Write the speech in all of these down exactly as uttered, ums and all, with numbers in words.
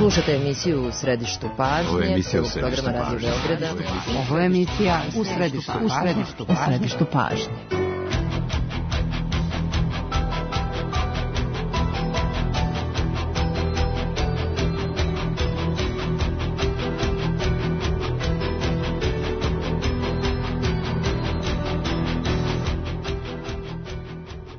Slušate emisiju U središtu pažnje. Ovo je emisija U središtu pažnje. Radio Beograda. Ovo je emisija U središtu pažnje. U središtu pažnje.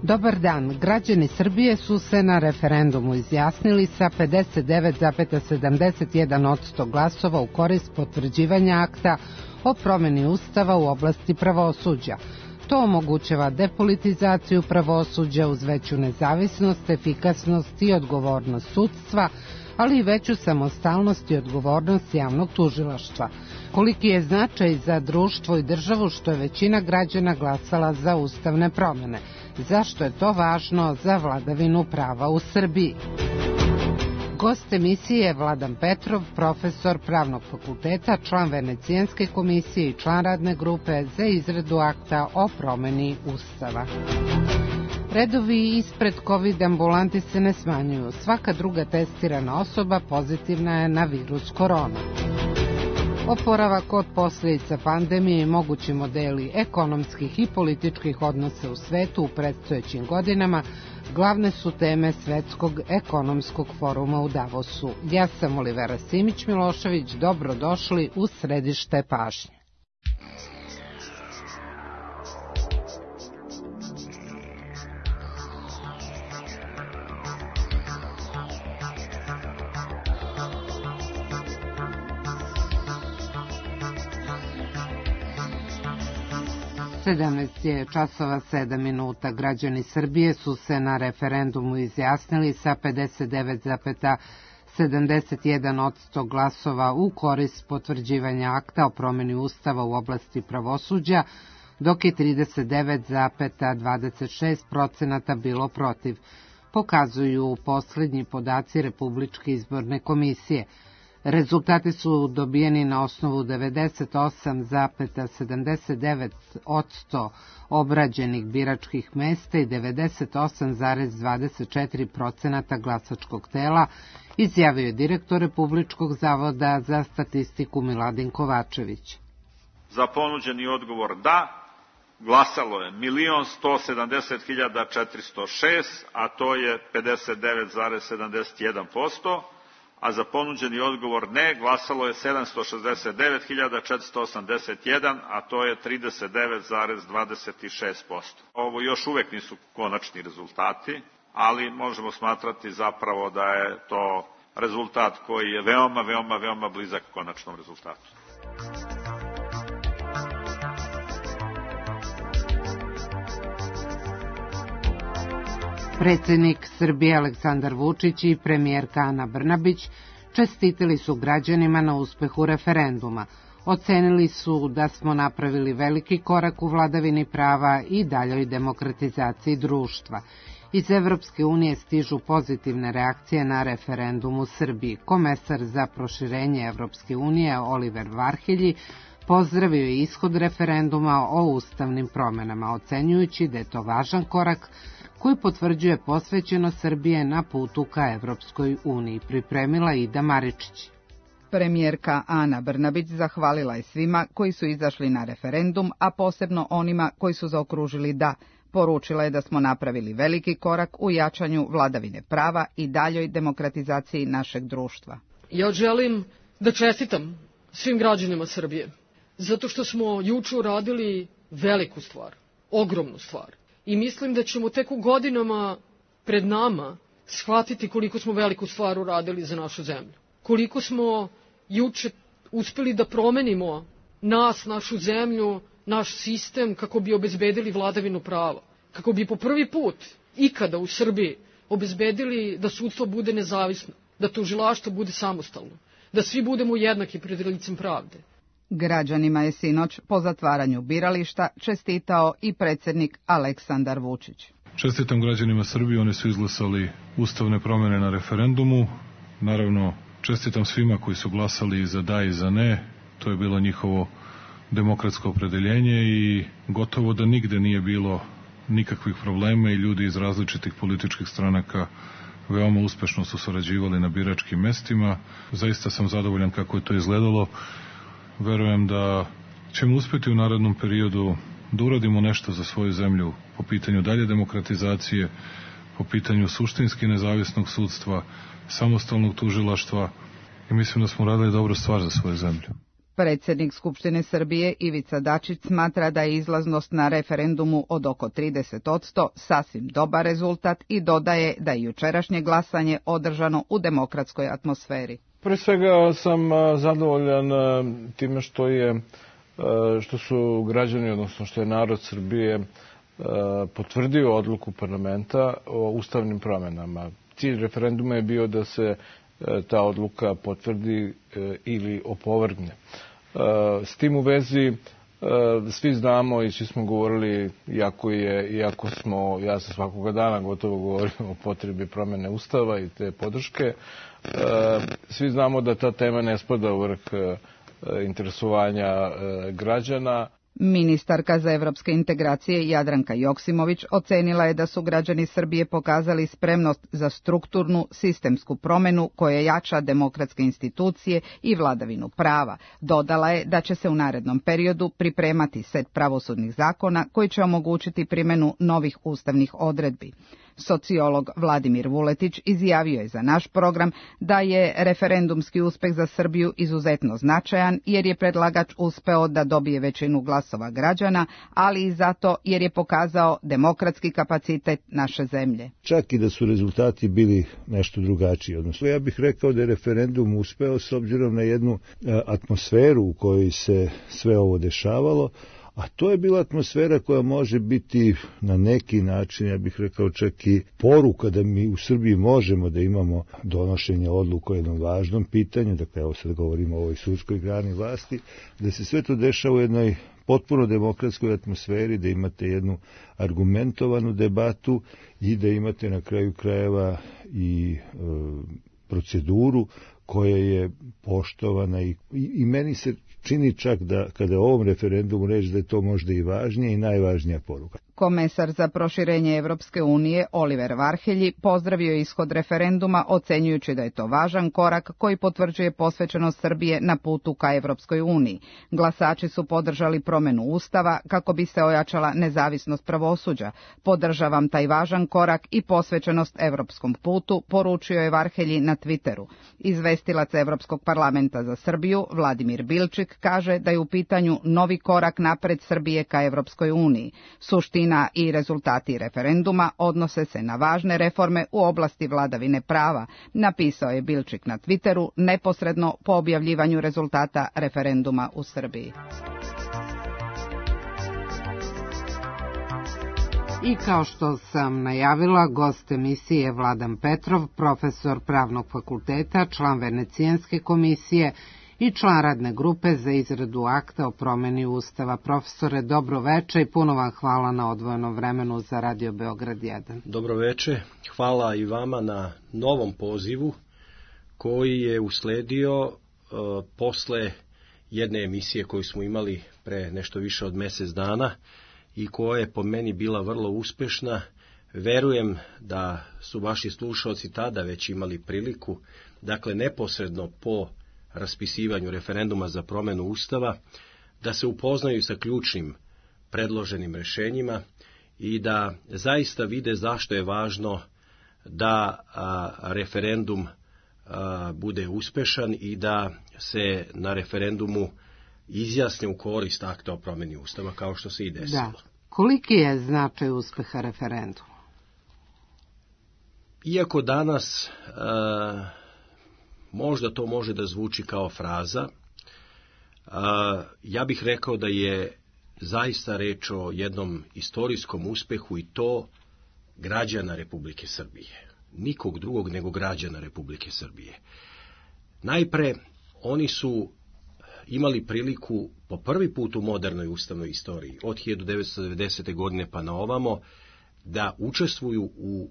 Dobar dan. Građani Srbije su se na referendumu izjasnili sa pedeset devet zarez sedamdeset jedan posto glasova u korist potvrđivanja akta o promeni Ustava u oblasti pravosuđa. To omogućava depolitizaciju pravosuđa uz veću nezavisnost, efikasnost i odgovornost sudstva, ali i veću samostalnost i odgovornost javnog tužilaštva. Koliki je značaj za društvo i državu što je većina građana glasala za ustavne promene? Zašto je to važno za vladavinu prava u Srbiji? Gost emisije je Vladan Petrov, profesor Pravnog fakulteta, član Venecijanske komisije i član radne grupe za izradu akta o promeni Ustava. Redovi ispred COVID ambulanti se ne smanjuju. Svaka druga testirana osoba pozitivna je na virus korona. Oporavak od posljedica pandemije i mogući modeli ekonomskih i političkih odnosa u svetu u predstojećim godinama glavne su teme Svetskog ekonomskog foruma u Davosu. Ja sam Olivera Simić-Milošević, dobrodošli u središte pažnje. sedamnaest je časova sedam minuta. Građani Srbije su se na referendumu izjasnili sa pedeset devet zarez sedamdeset jedan posto glasova u korist potvrđivanja akta o promeni Ustava u oblasti pravosuđa, dok je trideset devet zarez dvadeset šest posto bilo protiv, pokazuju posljednji podaci Republičke izborne komisije. Rezultati su dobijeni na osnovu devedeset osam zarez sedamdeset devet posto obrađenih biračkih mesta i devedeset osam zarez dvadeset četiri posto glasačkog tela, izjavio je direktor Republičkog zavoda za statistiku Miladin Kovačević. Za ponuđeni odgovor da glasalo je milion sto sedamdeset hiljada četiristo šest, a to je pedeset devet zarez sedamdeset jedan posto. A za ponuđeni odgovor ne glasalo je sedamsto šezdeset devet hiljada četiristo osamdeset jedan, a to je trideset devet zarez dvadeset šest posto. Ovo još uvek nisu konačni rezultati, ali možemo smatrati zapravo da je to rezultat koji je veoma, veoma, veoma blizak konačnom rezultatu. Predsjednik Srbije Aleksandar Vučić i premijerka Ana Brnabić čestitili su građanima na uspehu referenduma. Ocenili su da smo napravili veliki korak u vladavini prava i daljoj demokratizaciji društva. Iz Evropske unije stižu pozitivne reakcije na referendum u Srbiji. Komesar za proširenje Evropske unije Oliver Varhelji pozdravio je ishod referenduma o ustavnim promenama, ocenjujući da je to važan korak koji potvrđuje posvećenost Srbije na putu ka Evropskoj uniji, pripremila Ida Maričić. Premijerka Ana Brnabić zahvalila je svima koji su izašli na referendum, a posebno onima koji su zaokružili da. Poručila je da smo napravili veliki korak u jačanju vladavine prava i daljoj demokratizaciji našeg društva. Ja želim da čestitam svim građanima Srbije, zato što smo juče uradili veliku stvar, ogromnu stvar. I mislim da ćemo tek u godinama pred nama shvatiti koliko smo veliku stvar uradili za našu zemlju. Koliko smo juče uspeli da promenimo nas, našu zemlju, naš sistem kako bi obezbedili vladavinu prava. Kako bi po prvi put ikada u Srbiji obezbedili da sudstvo bude nezavisno, da tužilaštvo bude samostalno, da svi budemo jednaki pred licem pravde. Građanima je sinoć po zatvaranju birališta čestitao i predsjednik Aleksandar Vučić. Čestitam građanima Srbije, oni su izglasali ustavne promjene na referendumu. Naravno, čestitam svima koji su glasali za da i za ne. To je bilo njihovo demokratsko opredeljenje i gotovo da nigde nije bilo nikakvih problema i ljudi iz različitih političkih stranaka veoma uspešno su sarađivali na biračkim mestima. Zaista sam zadovoljan kako je to izgledalo. Verujem da ćemo uspeti u narednom periodu da uradimo nešto za svoju zemlju po pitanju dalje demokratizacije, po pitanju suštinski nezavisnog sudstva, samostalnog tužilaštva i mislim da smo radili dobru stvar za svoju zemlju. Predsjednik Skupštine Srbije Ivica Dačić smatra da je izlaznost na referendumu od oko trideset posto sasvim dobar rezultat i dodaje da je jučerašnje glasanje održano u demokratskoj atmosferi. Pre svega sam zadovoljan time što je što su građani, odnosno što je narod Srbije potvrdio odluku parlamenta o ustavnim promenama. Cilj referenduma je bio da se ta odluka potvrdi ili opovrgne. S tim u vezi svi znamo i svi smo govorili, iako, je, iako smo, ja sam svakoga dana gotovo govorim o potrebi promene Ustava i te podrške, svi znamo da ta tema ne spada u vrh interesovanja građana. Ministarka za evropske integracije Jadranka Joksimović ocenila je da su građani Srbije pokazali spremnost za strukturnu sistemsku promenu koja jača demokratske institucije i vladavinu prava. Dodala je da će se u narednom periodu pripremati set pravosudnih zakona koji će omogućiti primjenu novih ustavnih odredbi. Sociolog Vladimir Vuletić izjavio je za naš program da je referendumski uspeh za Srbiju izuzetno značajan jer je predlagač uspeo da dobije većinu glasova građana, ali i zato jer je pokazao demokratski kapacitet naše zemlje. Čak i da su rezultati bili nešto drugačiji. Odnosno, ja bih rekao da je referendum uspeo s obzirom na jednu atmosferu u kojoj se sve ovo dešavalo, a to je bila atmosfera koja može biti na neki način, ja bih rekao čak i poruka da mi u Srbiji možemo da imamo donošenje odluka o jednom važnom pitanju, dakle evo sad govorimo o ovoj sudskoj grani vlasti, da se sve to dešava u jednoj potpuno demokratskoj atmosferi, da imate jednu argumentovanu debatu i da imate na kraju krajeva i e, proceduru koja je poštovana i, i, i meni se čini čak da kada o ovom referendumu reći da je to možda i važnija i najvažnija poruka. Komesar za proširenje Evropske unije Oliver Varhelji pozdravio je ishod referenduma ocenjujući da je to važan korak koji potvrđuje posvećenost Srbije na putu ka Evropskoj uniji. Glasači su podržali promjenu Ustava kako bi se ojačala nezavisnost pravosuđa. Podržavam taj važan korak i posvećenost evropskom putu, poručio je Varhelji na Twitteru. Izvestilac Evropskog parlamenta za Srbiju Vladimir Bilčik kaže da je u pitanju novi korak napred Srbije ka Evropskoj uniji. Suština i rezultati referenduma odnose se na važne reforme u oblasti vladavine prava, napisao je Bilčik na Twitteru neposredno po objavljivanju rezultata referenduma u Srbiji. I kao što sam najavila, gost emisije je Vladan Petrov, profesor Pravnog fakulteta, član Venecijanske komisije i član radne grupe za izradu akta o promeni Ustava. Profesore, dobro veče i puno vam hvala na odvojenom vremenu za Radio Beograd jedan. Dobro veče, hvala i vama na novom pozivu koji je usledio uh, posle jedne emisije koju smo imali pre nešto više od mesec dana i koja je po meni bila vrlo uspešna. Verujem da su vaši slušalci tada već imali priliku, dakle neposredno po raspisivanju referenduma za promenu Ustava, da se upoznaju sa ključnim predloženim rešenjima i da zaista vide zašto je važno da a, referendum a, bude uspešan i da se na referendumu izjasne u korist akta o promeni Ustava, kao što se i desilo. Da. Koliki je značaj uspeha referenduma? Iako danas a, možda to može da zvuči kao fraza, a, ja bih rekao da je zaista reč o jednom istorijskom uspehu i to građana Republike Srbije. Nikog drugog nego građana Republike Srbije. Najpre, oni su imali priliku po prvi put u modernoj ustavnoj istoriji, od hiljadu devetsto devedesete. godine pa na ovamo, da učestvuju u,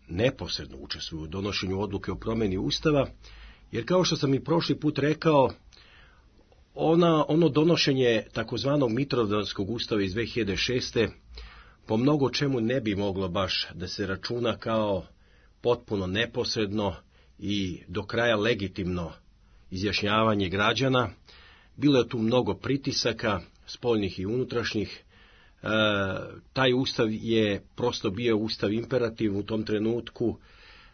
neposredno učestvuju u donošenju odluke o promeni Ustava, jer kao što sam i prošli put rekao, ona, ono donošenje takozvanog Mitrovdanskog ustava iz dve hiljade šeste. po mnogo čemu ne bi moglo baš da se računa kao potpuno neposredno i do kraja legitimno izjašnjavanje građana. Bilo je tu mnogo pritisaka, spoljnih i unutrašnjih. E, taj ustav je prosto bio ustav imperativ u tom trenutku.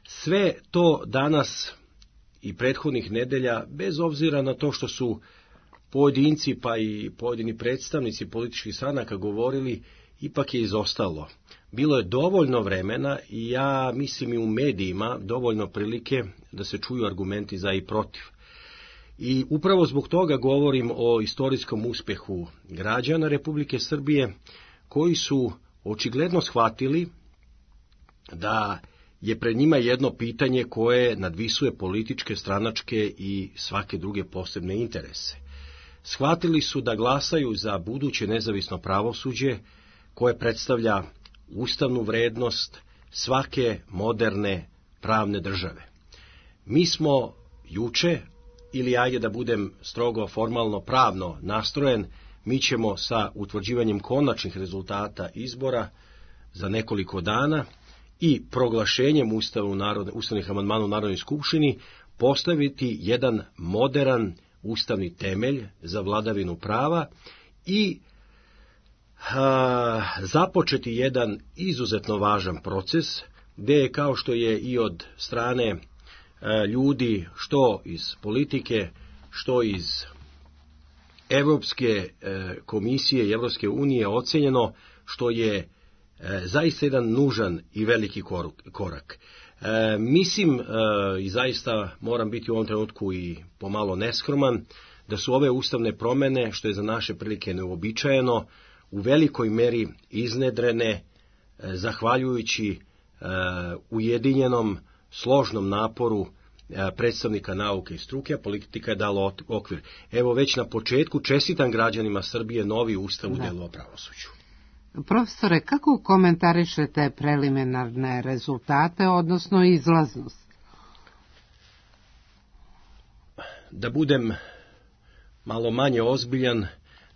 Sve to danas i prethodnih nedelja, bez obzira na to što su pojedinci pa i pojedini predstavnici političkih stranaka govorili, ipak je izostalo. Bilo je dovoljno vremena i ja mislim i u medijima dovoljno prilike da se čuju argumenti za i protiv. I upravo zbog toga govorim o istorijskom uspjehu građana Republike Srbije, koji su očigledno shvatili da je pred njima jedno pitanje koje nadvisuje političke, stranačke i svake druge posebne interese. Shvatili su da glasaju za buduće nezavisno pravosuđe koje predstavlja ustavnu vrednost svake moderne pravne države. Mi smo juče, ili ajde da budem strogo formalno pravno nastrojen, mi ćemo sa utvrđivanjem konačnih rezultata izbora za nekoliko dana i proglašenjem Ustavu narodne, ustavnih amandmana u Narodnoj skupštini postaviti jedan moderan ustavni temelj za vladavinu prava i a, započeti jedan izuzetno važan proces, gdje je, kao što je i od strane a, ljudi, što iz politike, što iz Evropske e, komisije i Evropske unije ocenjeno, što je e, zaista jedan nužan i veliki korak. E, mislim, e, i zaista moram biti u ovom trenutku i pomalo neskroman, da su ove ustavne promjene, što je za naše prilike neuobičajeno, u velikoj meri iznedrene e, zahvaljujući e, ujedinjenom, složnom naporu e, predstavnika nauke i struke, a politika je dala okvir. Evo, već na početku čestitam građanima Srbije novi ustav u delu o pravosuđu. Profesore, kako komentarišete preliminarne rezultate, odnosno izlaznost? Da budem malo manje ozbiljan,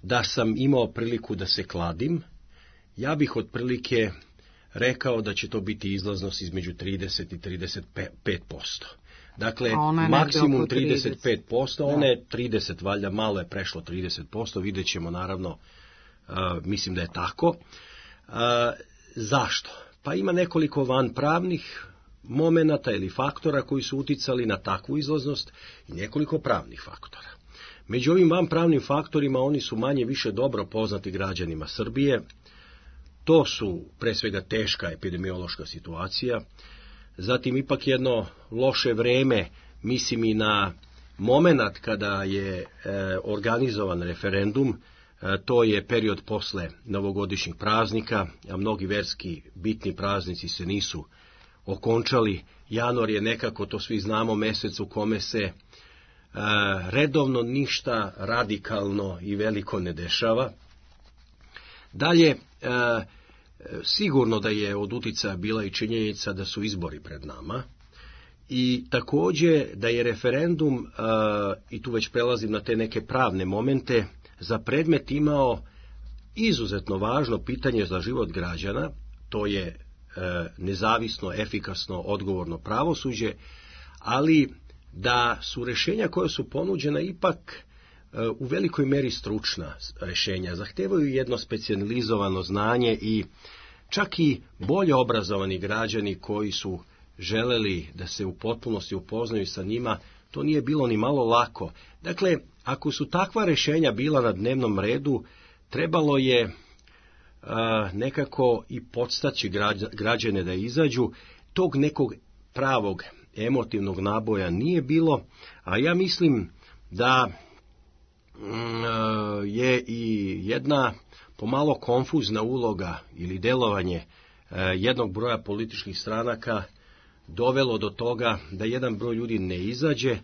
da sam imao priliku da se kladim, ja bih otprilike rekao da će to biti izlaznost između trideset i trideset pet posto. Dakle, maksimum trideset pet posto, ona je trideset, valjda malo je prešlo trideset posto, vidjet ćemo naravno. Uh, mislim da je tako. Uh, zašto? Pa ima nekoliko vanpravnih momenata ili faktora koji su uticali na takvu izlaznost i nekoliko pravnih faktora. Među ovim vanpravnim faktorima oni su manje više dobro poznati građanima Srbije. To su pre svega teška epidemiološka situacija, zatim ipak jedno loše vreme, mislim i na moment kada je e, organizovan referendum. To je period posle novogodišnjih praznika, a mnogi verski bitni praznici se nisu okončali. Januar je nekako, to svi znamo, mesec u kome se e, redovno ništa radikalno i veliko ne dešava. Dalje, e, sigurno da je od uticaja bila i činjenica da su izbori pred nama i također da je referendum, e, i tu već prelazim na te neke pravne momente, za predmet imao izuzetno važno pitanje za život građana, to je e, nezavisno, efikasno, odgovorno pravosuđe, ali da su rješenja koja su ponuđena ipak e, u velikoj meri stručna rješenja, zahtevaju jedno specijalizovano znanje i čak i bolje obrazovani građani koji su želeli da se u potpunosti upoznaju sa njima, to nije bilo ni malo lako. Dakle, ako su takva rješenja bila na dnevnom redu, trebalo je a, nekako i podstaći građane da izađu. Tog nekog pravog emotivnog naboja nije bilo, a ja mislim da mm, je i jedna pomalo konfuzna uloga ili delovanje a, jednog broja političkih stranaka dovelo do toga da jedan broj ljudi ne izađe,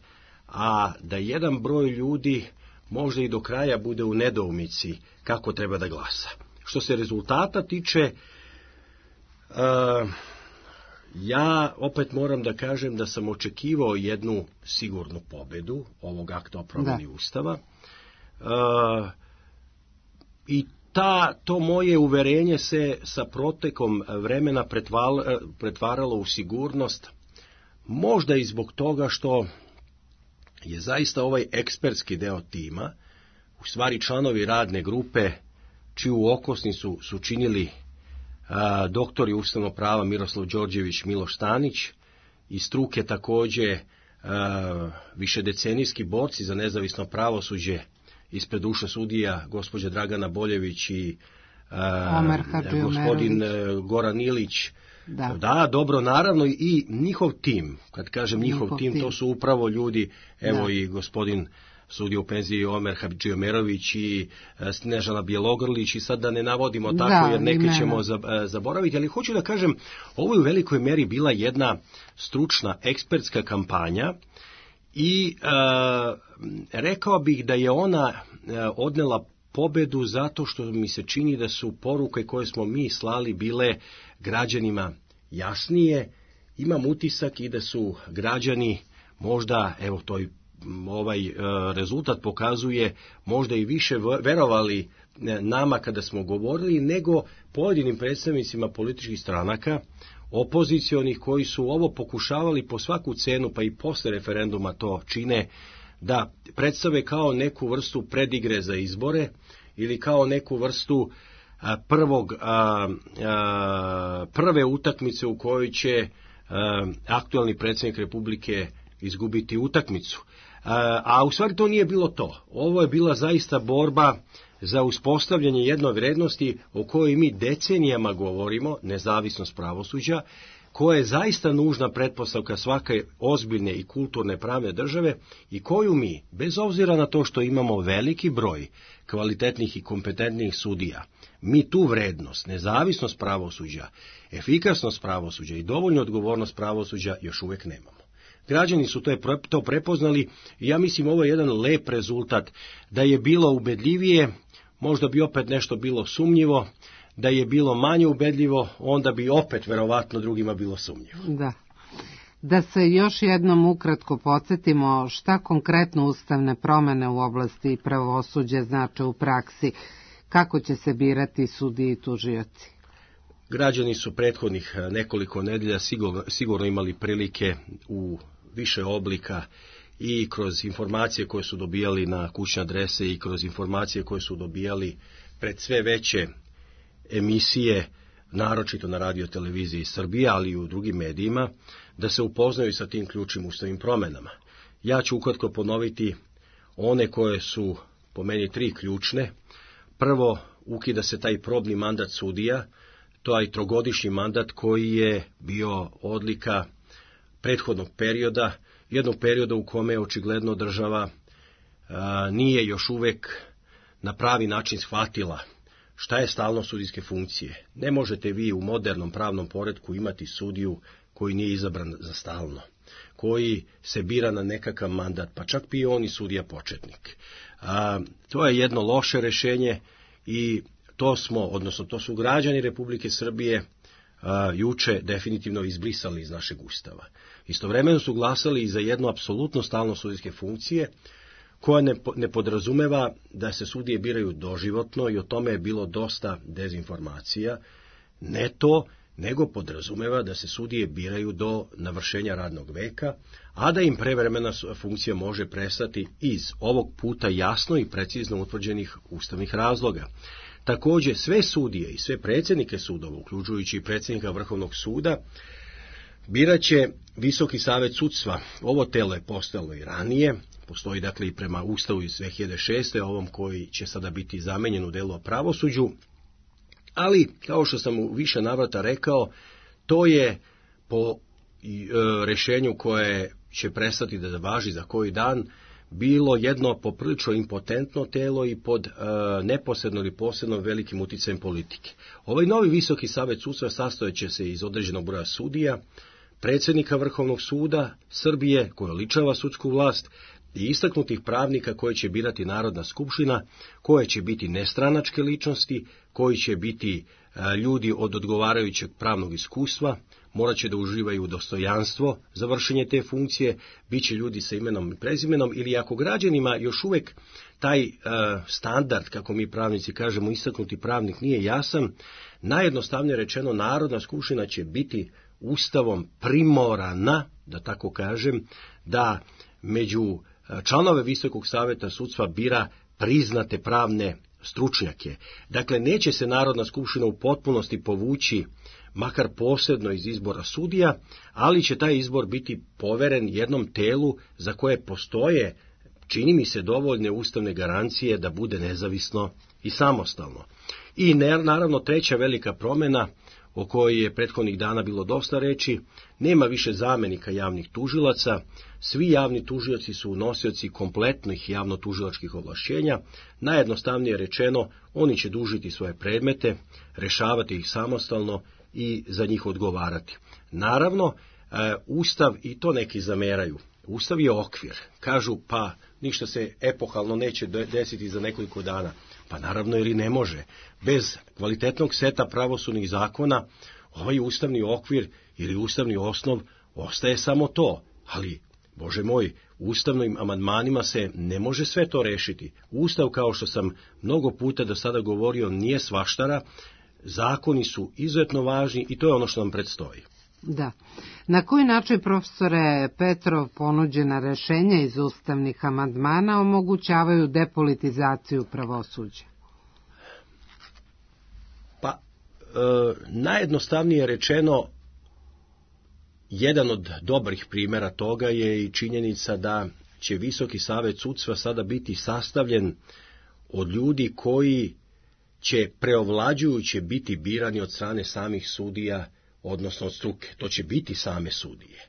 a da jedan broj ljudi možda i do kraja bude u nedoumici kako treba da glasa. Što se rezultata tiče, uh, ja opet moram da kažem da sam očekivao jednu sigurnu pobedu ovog akta o promjeni Ustava. Uh, I ta, to moje uverenje se sa protekom vremena pretvaralo u sigurnost, možda i zbog toga što je zaista ovaj ekspertski deo tima, u stvari članovi radne grupe, čiju okosnicu su činili a, doktori ustavnog prava Miroslav Đorđević, Miloš Stanić, i struke takođe a, višedecenijski borci za nezavisno pravosuđe ispred duše sudija, gospođa Dragana Boljević i a, gospodin Goran Ilić. Da. da, dobro, naravno i njihov tim, kad kažem njihov, njihov tim, tim, to su upravo ljudi, evo da. I gospodin sudija u penziji Omer Hadžiomerović i Snežana Bjelogrlić, i sad da ne navodimo tako, da, jer neke ćemo zaboraviti, ali hoću da kažem, ovo je u velikoj meri bila jedna stručna, ekspertska kampanja i a, rekao bih da je ona a, odnela pobedu zato što mi se čini da su poruke koje smo mi slali bile građanima jasnije. Imam utisak i da su građani možda, evo to ovaj e, rezultat pokazuje, možda i više verovali nama kada smo govorili nego pojedinim predstavnicima političkih stranaka, opozicionih, koji su ovo pokušavali po svaku cenu, pa i posle referenduma to čine, da predstave kao neku vrstu predigre za izbore ili kao neku vrstu a, prvog, a, a, prve utakmice u kojoj će a, aktualni predsjednik Republike izgubiti utakmicu. A, a u stvari to nije bilo to. Ovo je bila zaista borba za uspostavljanje jedne vrednosti o kojoj mi decenijama govorimo, nezavisnost pravosuđa, koja je zaista nužna pretpostavka svake ozbiljne i kulturne pravne države i koju mi, bez obzira na to što imamo veliki broj kvalitetnih i kompetentnih sudija, mi tu vrednost, nezavisnost pravosuđa, efikasnost pravosuđa i dovoljnu odgovornost pravosuđa još uvek nemamo. Građani su to, je, to prepoznali i ja mislim ovo je jedan lep rezultat. Da je bilo ubedljivije, možda bi opet nešto bilo sumnjivo, da je bilo manje ubedljivo, onda bi opet verovatno drugima bilo sumnjivo. Da. Da se još jednom ukratko podsjetimo šta konkretno ustavne promene u oblasti pravosuđa znače u praksi, kako će se birati sudije i tužioci. Građani su prethodnih nekoliko nedelja sigurno, sigurno imali prilike u više oblika i kroz informacije koje su dobijali na kućne adrese i kroz informacije koje su dobijali pred sve veće emisije, naročito na radio televiziji Srbije, ali i u drugim medijima, da se upoznaju sa tim ključnim ustavnim promenama. Ja ću ukratko ponoviti one koje su po meni tri ključne. Prvo, ukida se taj probni mandat sudija, to je trogodišnji mandat koji je bio odlika prethodnog perioda, jednog perioda u kome je očigledno država a, nije još uvek na pravi način shvatila šta je stalnost sudijske funkcije. Ne možete vi u modernom pravnom poretku imati sudiju koji nije izabran za stalno, koji se bira na nekakav mandat, pa čak i on i sudija početnik. A, to je jedno loše rešenje i to smo, odnosno to su građani Republike Srbije a, juče definitivno izbrisali iz našeg ustava. Istovremeno su glasali i za jednu apsolutno stalnost sudijske funkcije, koja ne, ne podrazumeva da se sudije biraju doživotno i o tome je bilo dosta dezinformacija. Ne to, nego podrazumeva da se sudije biraju do navršenja radnog veka, a da im prevremena funkcija može prestati iz ovog puta jasno i precizno utvrđenih ustavnih razloga. Takođe, sve sudije i sve predsjednike sudova, uključujući i predsjednika Vrhovnog suda, biraće Visoki savet sudstva. Ovo telo je postojalo i ranije, postoji dakle i prema Ustavu iz dve hiljade šeste. ovom koji će sada biti zamenjen u delu o pravosuđu, ali kao što sam u više navrata rekao, to je po e, rešenju koje će prestati da važi za koji dan, bilo jedno poprilično impotentno telo i pod e, neposredno ili posredno velikim uticajem politike. Ovaj novi Visoki savet sudstva sastojeće se iz određenog broja sudija, predsjednika Vrhovnog suda Srbije, koji oličava sudsku vlast, i istaknutih pravnika koje će birati Narodna skupština, koje će biti nestranačke ličnosti, koji će biti a, ljudi od odgovarajućeg pravnog iskustva, morat će da uživaju dostojanstvo za vršenje te funkcije, bit će ljudi sa imenom i prezimenom, ili ako građanima još uvek taj a, standard, kako mi pravnici kažemo, istaknuti pravnik nije jasan, najjednostavnije rečeno Narodna skupština će biti Ustavom primorana, da tako kažem, da među članove Visokog saveta sudstva bira priznate pravne stručnjake. Dakle, neće se Narodna skupština u potpunosti povući, makar posebno iz izbora sudija, ali će taj izbor biti poveren jednom telu za koje postoje, čini mi se, dovoljne ustavne garancije da bude nezavisno i samostalno. I naravno treća velika promjena, o kojoj je prethodnih dana bilo dosta reči, nema više zamenika javnih tužilaca, svi javni tužioci su nosioci kompletnih javnotužilačkih ovlašćenja, najjednostavnije rečeno, oni će dužiti svoje predmete, rešavati ih samostalno i za njih odgovarati. Naravno, e, Ustav, i to neki zameraju, Ustav je okvir, kažu pa ništa se epohalno neće desiti za nekoliko dana. Pa naravno, jer i ne može. Bez kvalitetnog seta pravosudnih zakona, ovaj ustavni okvir ili ustavni osnov ostaje samo to. Ali, Bože moj, ustavnim amandmanima se ne može sve to rešiti. Ustav, kao što sam mnogo puta do sada govorio, nije svaštara, zakoni su izuzetno važni i to je ono što nam predstoji. Da. Na koji način, profesore Petrov, ponuđena rešenja iz ustavnih amandmana omogućavaju depolitizaciju pravosuđa? Pa, e, najjednostavnije rečeno, jedan od dobrih primjera toga je i činjenica da će Visoki savet sudstva sada biti sastavljen od ljudi koji će preovlađujuće biti birani od strane samih sudija, odnosno od struke. To će biti same sudije.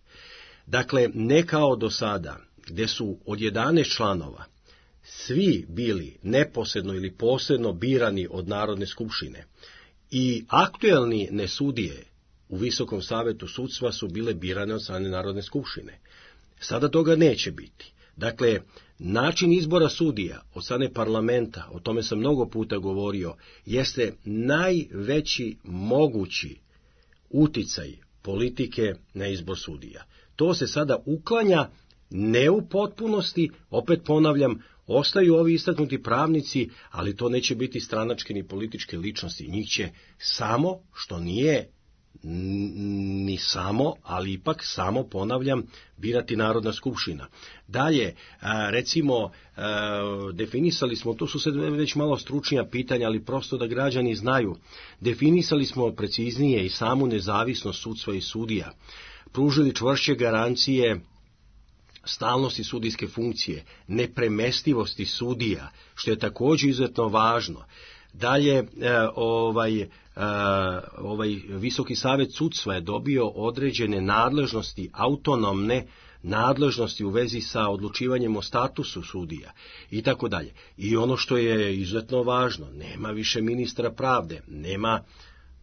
Dakle, ne kao do sada, gde su od jedanaest članova svi bili neposredno ili posredno birani od Narodne skupštine i aktuelni nesudije u Visokom savetu sudstva su bile birane od strane Narodne skupštine. Sada toga neće biti. Dakle, način izbora sudija od strane parlamenta, o tome sam mnogo puta govorio, jeste najveći mogući uticaj politike na izbor sudija. To se sada uklanja ne u potpunosti, opet ponavljam, ostaju ovi istaknuti pravnici, ali to neće biti stranačke ni političke ličnosti. Njih će samo, što nije ni samo, ali ipak samo, ponavljam, birati Narodna skupština. Dalje, recimo, definisali smo, to su se već malo stručnija pitanja, ali prosto da građani znaju, definisali smo preciznije i samu nezavisnost sudstva i sudija, pružili čvršće garancije stalnosti sudijske funkcije, nepremestivosti sudija, što je također izuzetno važno. Dalje, ovaj, ovaj Visoki savet sudstva je dobio određene nadležnosti, autonomne nadležnosti u vezi sa odlučivanjem o statusu sudija i tako dalje. I ono što je izuzetno važno, nema više ministra pravde, nema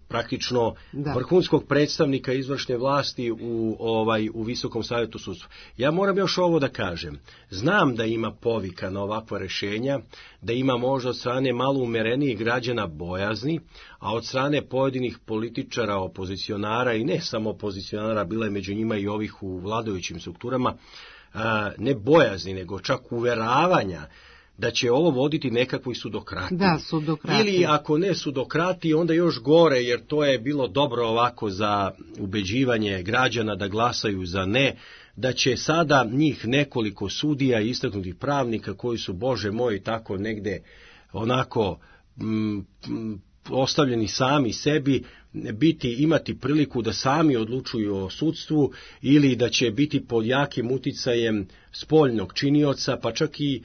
praktično da. vrhunskog predstavnika izvršne vlasti u ovaj u Visokom savetu sudstva. Ja moram još ovo da kažem. Znam da ima povika na ovakva rešenja, da ima možda od strane malo umerenijih građana bojazni, a od strane pojedinih političara, opozicionara i ne samo opozicionara, bila je među njima i ovih u vladajućim strukturama, ne bojazni, nego čak uveravanja da će ovo voditi nekakvoj sudokratiji. Da, sudokratiji. Ili ako ne sudokratiji, onda još gore, jer to je bilo dobro ovako za ubeđivanje građana da glasaju za ne, da će sada njih nekoliko sudija i istaknutih pravnika koji su, Bože moj, tako negde onako m, m, ostavljeni sami sebi, biti, imati priliku da sami odlučuju o sudstvu ili da će biti pod jakim uticajem spoljnog činioca, pa čak i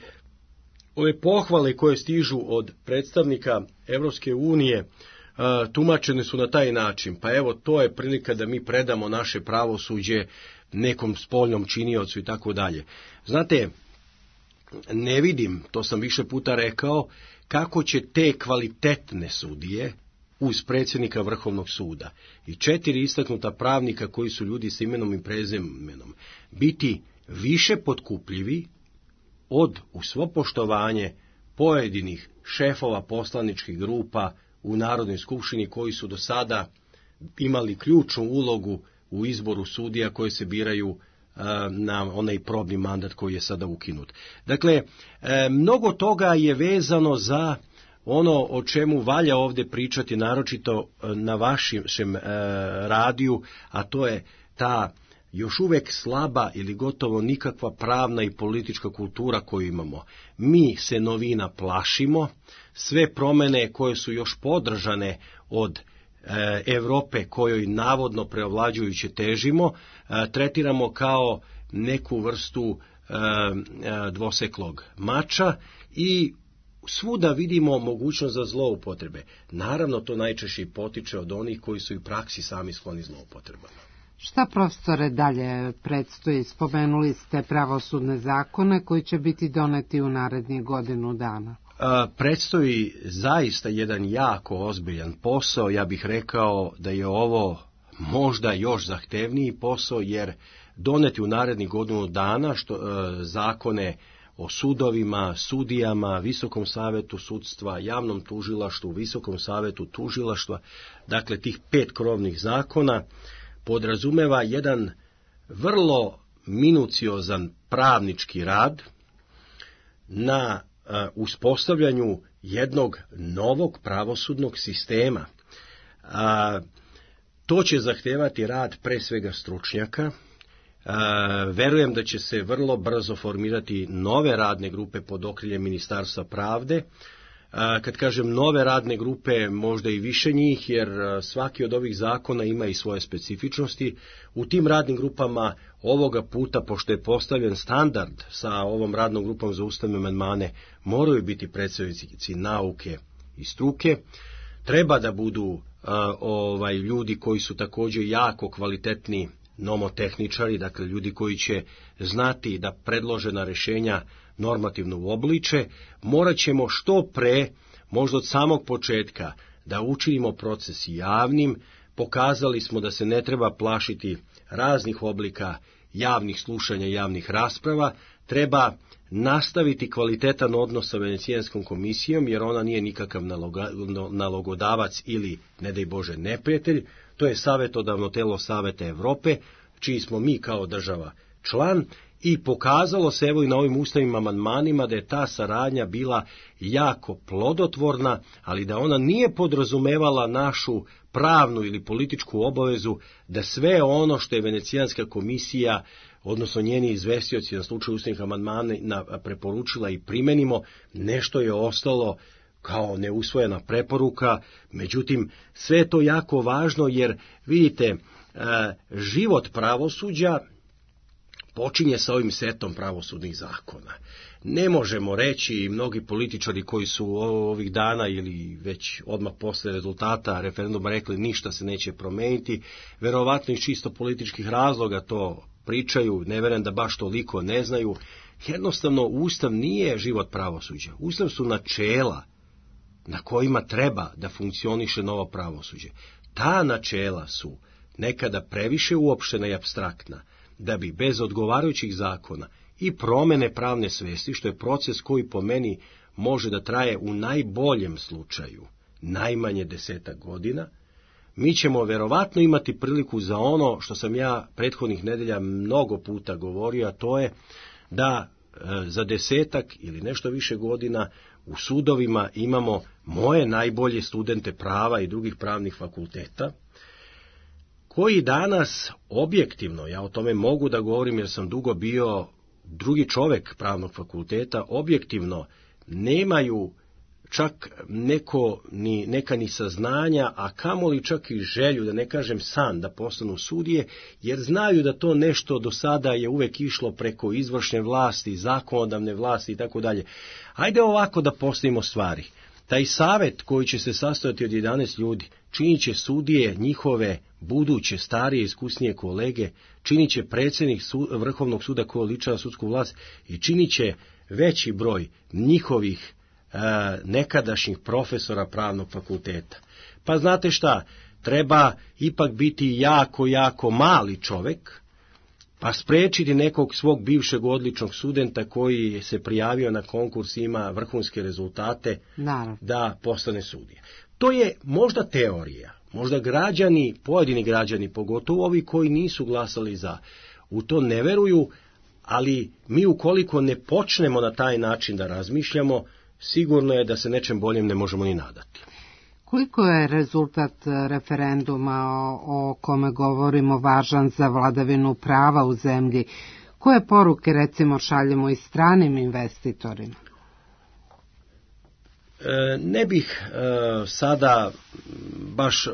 ove pohvale koje stižu od predstavnika Evropske unije tumačene su na taj način. Pa evo, to je prilika da mi predamo naše pravosuđe nekom spoljnom činiocu i tako dalje. Znate, ne vidim, to sam više puta rekao, kako će te kvalitetne sudije uz predsjednika Vrhovnog suda i četiri istaknuta pravnika koji su ljudi s imenom i prezimenom biti više potkupljivi od, u svo poštovanje, pojedinih šefova poslaničkih grupa u Narodnoj skupštini koji su do sada imali ključnu ulogu u izboru sudija koji se biraju a, na onaj probni mandat koji je sada ukinut. Dakle, e, mnogo toga je vezano za ono o čemu valja ovdje pričati, naročito na vašem e, radiju, a to je ta još uvijek slaba ili gotovo nikakva pravna i politička kultura koju imamo. Mi se novina plašimo, sve promjene koje su još podržane od e, Europe kojoj navodno preovlađujuće težimo, e, tretiramo kao neku vrstu e, e, dvoseklog mača i svuda vidimo mogućnost za zloupotrebe. Naravno, to najčešće potiče od onih koji su i u praksi sami skloni zloupotrebama. Šta, profesore, dalje predstoji? Spomenuli ste pravosudne zakone koji će biti doneti u narednih godinu dana. A, predstoji zaista jedan jako ozbiljan posao. Ja bih rekao da je ovo možda još zahtevniji posao, jer doneti u narednih godinu dana što, a, zakone o sudovima, sudijama, Visokom savetu sudstva, javnom tužilaštvu, Visokom savetu tužilaštva, dakle tih pet krovnih zakona, podrazumeva jedan vrlo minuciozan pravnički rad na uh, uspostavljanju jednog novog pravosudnog sistema. Uh, to će zahtevati rad pre svega stručnjaka. Uh, verujem da će se vrlo brzo formirati nove radne grupe pod okriljem Ministarstva pravde. Kad kažem nove radne grupe, možda i više njih, jer svaki od ovih zakona ima i svoje specifičnosti. U tim radnim grupama ovoga puta, pošto je postavljen standard sa ovom radnom grupom za ustavne amandmane, moraju biti predstavnici nauke i struke. Treba da budu uh, ovaj, ljudi koji su također jako kvalitetni nomotehničari, dakle ljudi koji će znati da predložena rješenja normativno uobliče. Morat ćemo što pre, možda od samog početka, da učinimo proces javnim. Pokazali smo da se ne treba plašiti raznih oblika javnih slušanja, javnih rasprava. Treba nastaviti kvalitetan odnos sa Venecijanskom komisijom, jer ona nije nikakav naloga, nalogodavac ili, ne daj Bože, neprijatelj. To je savjetodavno telo Saveta Europe, čiji smo mi kao država član, i pokazalo se evo i na ovim ustavnim amandmanima da je ta saradnja bila jako plodotvorna, ali da ona nije podrazumevala našu pravnu ili političku obavezu da sve ono što je Venecijanska komisija, odnosno njeni izvestioci na slučaju ustavnih amandmana preporučila i primenimo. Nešto je ostalo kao neusvojena preporuka. Međutim, sve je to jako važno, jer vidite, život pravosuđa počinje sa ovim setom pravosudnih zakona. Ne možemo reći, i mnogi političari koji su ovih dana ili već odmah posle rezultata referenduma rekli ništa se neće promeniti, verovatno iz čisto političkih razloga to pričaju, ne verujem da baš toliko ne znaju. Jednostavno, Ustav nije život pravosuđa. Ustav su načela na kojima treba da funkcioniše novo pravosuđe. Ta načela su nekada previše uopštena i apstraktna, da bi bez odgovarajućih zakona i promene pravne svesti, što je proces koji po meni može da traje u najboljem slučaju najmanje desetak godina, mi ćemo verovatno imati priliku za ono što sam ja prethodnih nedelja mnogo puta govorio, a to je da e, za desetak ili nešto više godina u sudovima imamo moje najbolje studente prava i drugih pravnih fakulteta, koji danas objektivno, ja o tome mogu da govorim jer sam dugo bio drugi čovek pravnog fakulteta, objektivno nemaju čak neko, ni, neka ni saznanja, a kamoli čak i želju, da ne kažem san, da postanu sudije, jer znaju da to nešto do sada je uvek išlo preko izvršne vlasti, zakonodavne vlasti i tako dalje. Ajde ovako da postavimo stvari. Taj savet koji će se sastojati od jedanaest ljudi, činit će sudije njihove buduće, starije, iskusnije kolege, činit će predsjednik su, Vrhovnog suda koji oličava sudsku vlast i činit će veći broj njihovih e, nekadašnjih profesora pravnog fakulteta. Pa znate šta, treba ipak biti jako, jako mali čovek, pa sprečiti nekog svog bivšeg odličnog studenta koji se prijavio na konkurs, ima vrhunske rezultate, naravno, da postane sudija. To je možda teorija, možda građani, pojedini građani, pogotovo ovi koji nisu glasali za, u to ne veruju, ali mi ukoliko ne počnemo na taj način da razmišljamo, sigurno je da se nečem boljem ne možemo ni nadati. Koliko je rezultat referenduma o, o kome govorimo važan za vladavinu prava u zemlji? Koje poruke, recimo, šaljemo i stranim investitorima? E, ne bih e, sada baš e,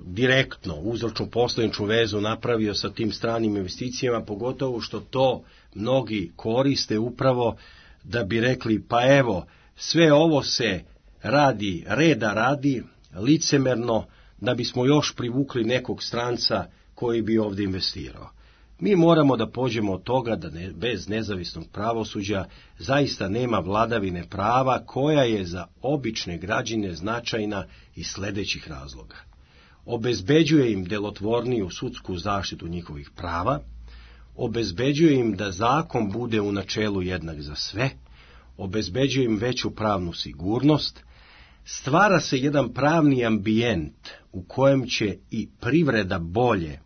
direktno uzročno posljedničnu vezu napravio sa tim stranim investicijama, pogotovo što to mnogi koriste upravo da bi rekli, pa evo, sve ovo se radi, reda radi, licemerno, da bismo još privukli nekog stranca koji bi ovdje investirao. Mi moramo da pođemo od toga da ne, bez nezavisnog pravosuđa zaista nema vladavine prava koja je za obične građane značajna iz sljedećih razloga. Obezbeđuje im delotvorniju sudsku zaštitu njihovih prava, obezbeđuje im da zakon bude u načelu jednak za sve, obezbeđuje im veću pravnu sigurnost, stvara se jedan pravni ambijent u kojem će i privreda bolje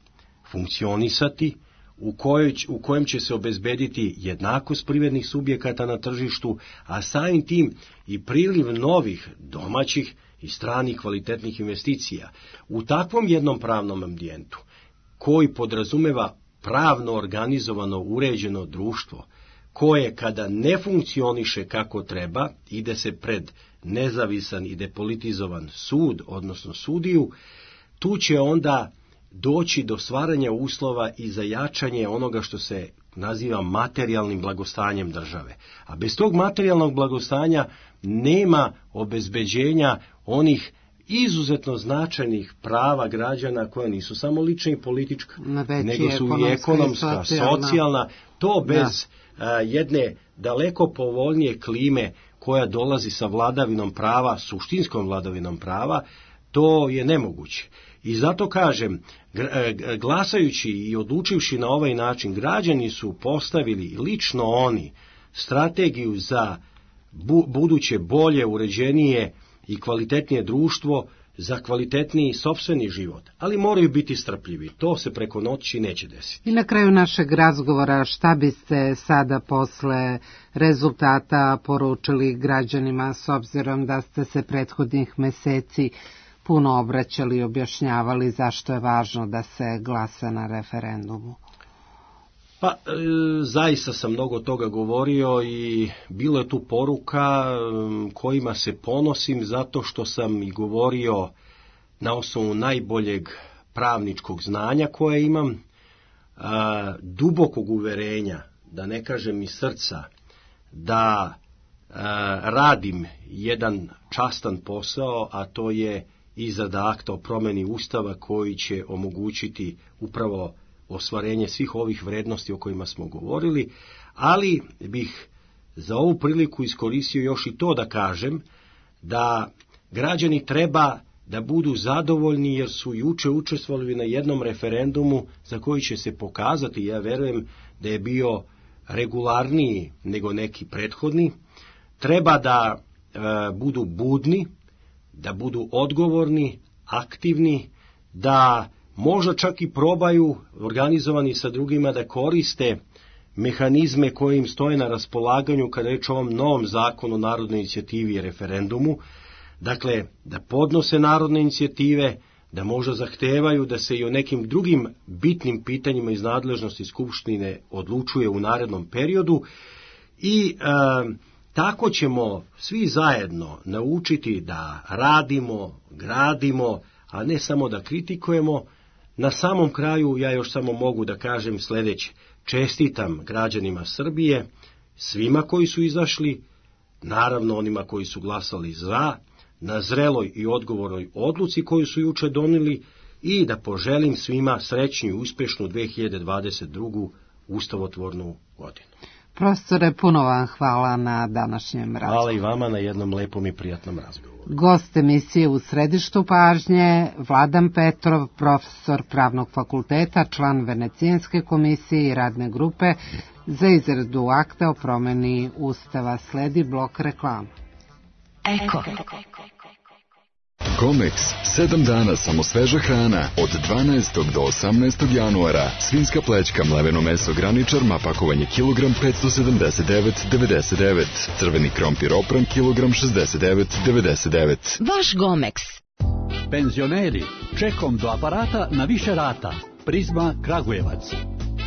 funkcionisati, u, kojoj, u kojem će se obezbediti jednakost privrednih subjekata na tržištu, a samim tim i priliv novih domaćih i stranih kvalitetnih investicija. U takvom jednom pravnom ambijentu, koji podrazumeva pravno organizovano uređeno društvo, koje kada ne funkcioniše kako treba, ide se pred nezavisan i depolitizovan sud, odnosno sudiju, tu će onda doći do stvaranja uslova i za jačanje onoga što se naziva materijalnim blagostanjem države. A bez tog materijalnog blagostanja nema obezbeđenja onih izuzetno značajnih prava građana koja nisu samo lična i politička, nego su i ekonomska, socijalna. socijalna. To bez a, jedne daleko povoljnije klime koja dolazi sa vladavinom prava, suštinskom vladavinom prava, to je nemoguće. I zato kažem, glasajući i odlučivši na ovaj način, građani su postavili, lično oni, strategiju za bu- buduće bolje, uređenije i kvalitetnije društvo, za kvalitetniji sopstveni život. Ali moraju biti strpljivi. To se preko noći neće desiti. I na kraju našeg razgovora, šta biste sada posle rezultata poručili građanima, s obzirom da ste se prethodnih meseci puno obraćali i objašnjavali zašto je važno da se glasa na referendumu? Pa, e, zaista sam mnogo toga govorio i bilo je tu poruka e, kojima se ponosim zato što sam i govorio na osnovu najboljeg pravničkog znanja koje imam, e, dubokog uverenja, da ne kažem iz srca, da e, radim jedan častan posao, a to je izrada akta o promjeni Ustava koji će omogućiti upravo ostvarenje svih ovih vrednosti o kojima smo govorili, ali bih za ovu priliku iskoristio još i to da kažem da građani treba da budu zadovoljni jer su juče učestvovali na jednom referendumu za koji će se pokazati, ja verujem da je bio regularniji nego neki prethodni. Treba da e, budu budni, da budu odgovorni, aktivni, da možda čak i probaju, organizovani sa drugima, da koriste mehanizme koje im stoje na raspolaganju kada je reč o ovom novom zakonu o narodnoj inicijativi i referendumu. Dakle, da podnose narodne inicijative, da možda zahtevaju da se i o nekim drugim bitnim pitanjima iz nadležnosti Skupštine odlučuje u narednom periodu i e, tako ćemo svi zajedno naučiti da radimo, gradimo, a ne samo da kritikujemo. Na samom kraju ja još samo mogu da kažem sljedeće. Čestitam građanima Srbije, svima koji su izašli, naravno onima koji su glasali za, na zreloj i odgovornoj odluci koju su juče donijeli i da poželim svima srećnu i uspješnu dve hiljade dvadeset drugu ustavotvornu godinu. Profesore, puno vam hvala na današnjem razgovoru. Hvala i vama na jednom lepom i prijatnom razgovoru. Gost emisije u središtu pažnje, Vladan Petrov, profesor Pravnog fakulteta, član Venecijanske komisije i radne grupe za izradu akta o promjeni Ustava. Sledi blok reklama. Eko. Comex. sedam dana samo sveža hrana. Od dvanaestog do osamnaestog januara. Svinjska plećka, mleveno meso graničar, pakovanje kilogram petsto sedamdeset devet devedeset devet. Crveni krompir opran kilogram šezdeset devet devedeset devet. Vaš Gomex. Penzioneri, čekom do aparata na više rata. Prizma Kragujevac.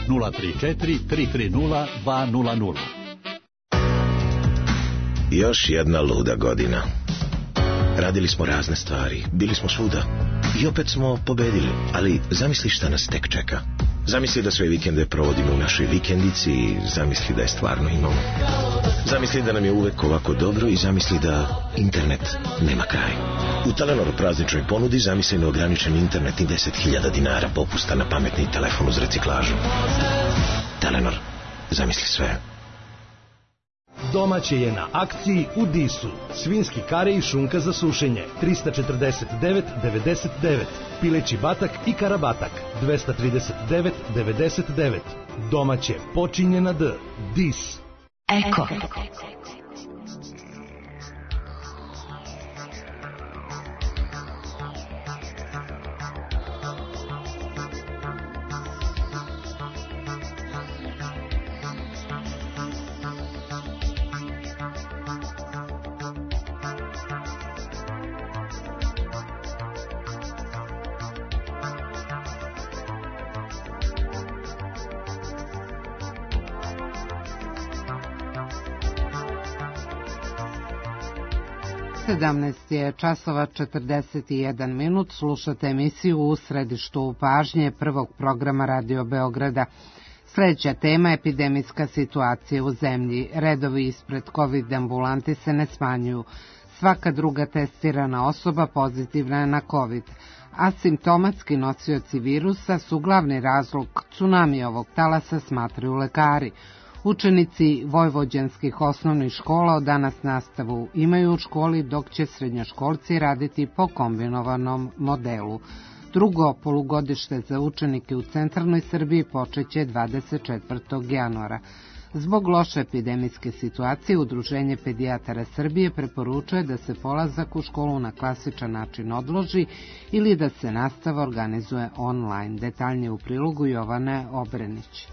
nula tri četiri tri tri nula dva nula nula. Još jedna luda godina. Radili smo razne stvari, bili smo svuda i opet smo pobedili, ali zamisli šta nas tek čeka. Zamisli da sve vikende provodimo u našoj vikendici i zamisli da je stvarno imamo. Zamisli da nam je uvek ovako dobro i zamisli da internet nema kraj. U Telenoru prazničnoj ponudi zamisli neograničen internet i deset hiljada dinara popusta na pametni telefon uz reciklažu. Telenor, zamisli sve. Domaće je na akciji u Disu. Svinjski kare i šunka za sušenje trista četrdeset devet devedeset devet. Pileći batak i karabatak dvesta trideset devet devedeset devet. Domaće počinje na D. Dis. Eko. sedamnaest je časova četrdeset jedan minut, slušate emisiju U središtu pažnje prvog programa Radio Beograda. Sljedeća tema, epidemijska situacija u zemlji. Redovi ispred COVID ambulanti se ne smanjuju. Svaka druga testirana osoba pozitivna je na COVID. Asimptomatski nosioci virusa su glavni razlog tsunami ovog talasa, smatraju lekari. Učenici vojvođanskih osnovnih škola od danas nastavu imaju u školi, dok će srednjoškolci raditi po kombinovanom modelu. Drugo polugodište za učenike u centralnoj Srbiji počeće dvadeset četvrtog januara. Zbog loše epidemijske situacije, Udruženje pedijatara Srbije preporučuje da se polazak u školu na klasičan način odloži ili da se nastava organizuje online. Detaljnije u prilogu Jovane Obrenić.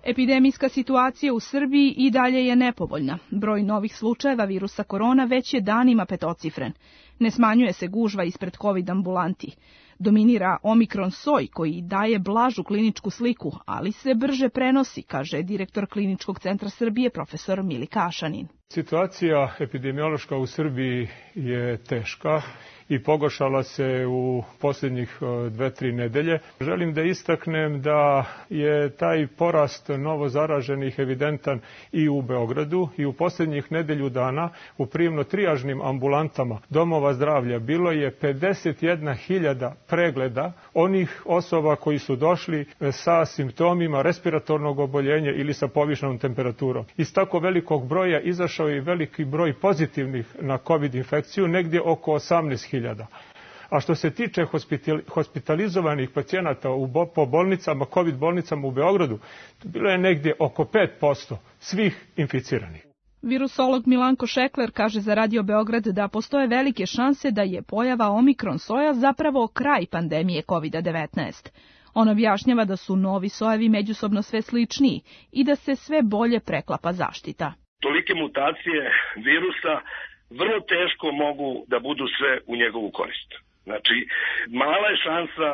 Epidemijska situacija u Srbiji i dalje je nepovoljna. Broj novih slučajeva virusa korona već je danima petocifren. Ne smanjuje se gužva ispred COVID ambulanti. Dominira omikron soj koji daje blažu kliničku sliku, ali se brže prenosi, kaže direktor Kliničkog centra Srbije profesor Milika Ašanin. Situacija epidemiološka u Srbiji je teška i pogoršala se u posljednjih dve, tri nedelje. Želim da istaknem da je taj porast novo zaraženih evidentan i u Beogradu i u posljednjih nedelju dana u prijemno-trijažnim ambulantama domova zdravlja bilo je pedeset jedna hiljada pregleda onih osoba koji su došli sa simptomima respiratornog oboljenja ili sa povišenom temperaturom. Iz tako velikog broja izašao je veliki broj pozitivnih na COVID infekciju, negdje oko osamnaest hiljada. A što se tiče hospitalizovanih pacijenata u, po bolnicama, COVID bolnicama u Beogradu, bilo je negdje oko pet posto svih inficiranih. Virusolog Milanko Šekler kaže za Radio Beograd da postoje velike šanse da je pojava omikron soja zapravo kraj pandemije COVID devetnaest. On objašnjava da su novi sojevi međusobno sve sličniji i da se sve bolje preklapa zaštita. Tolike mutacije virusa vrlo teško mogu da budu sve u njegovu korist. Znači, mala je šansa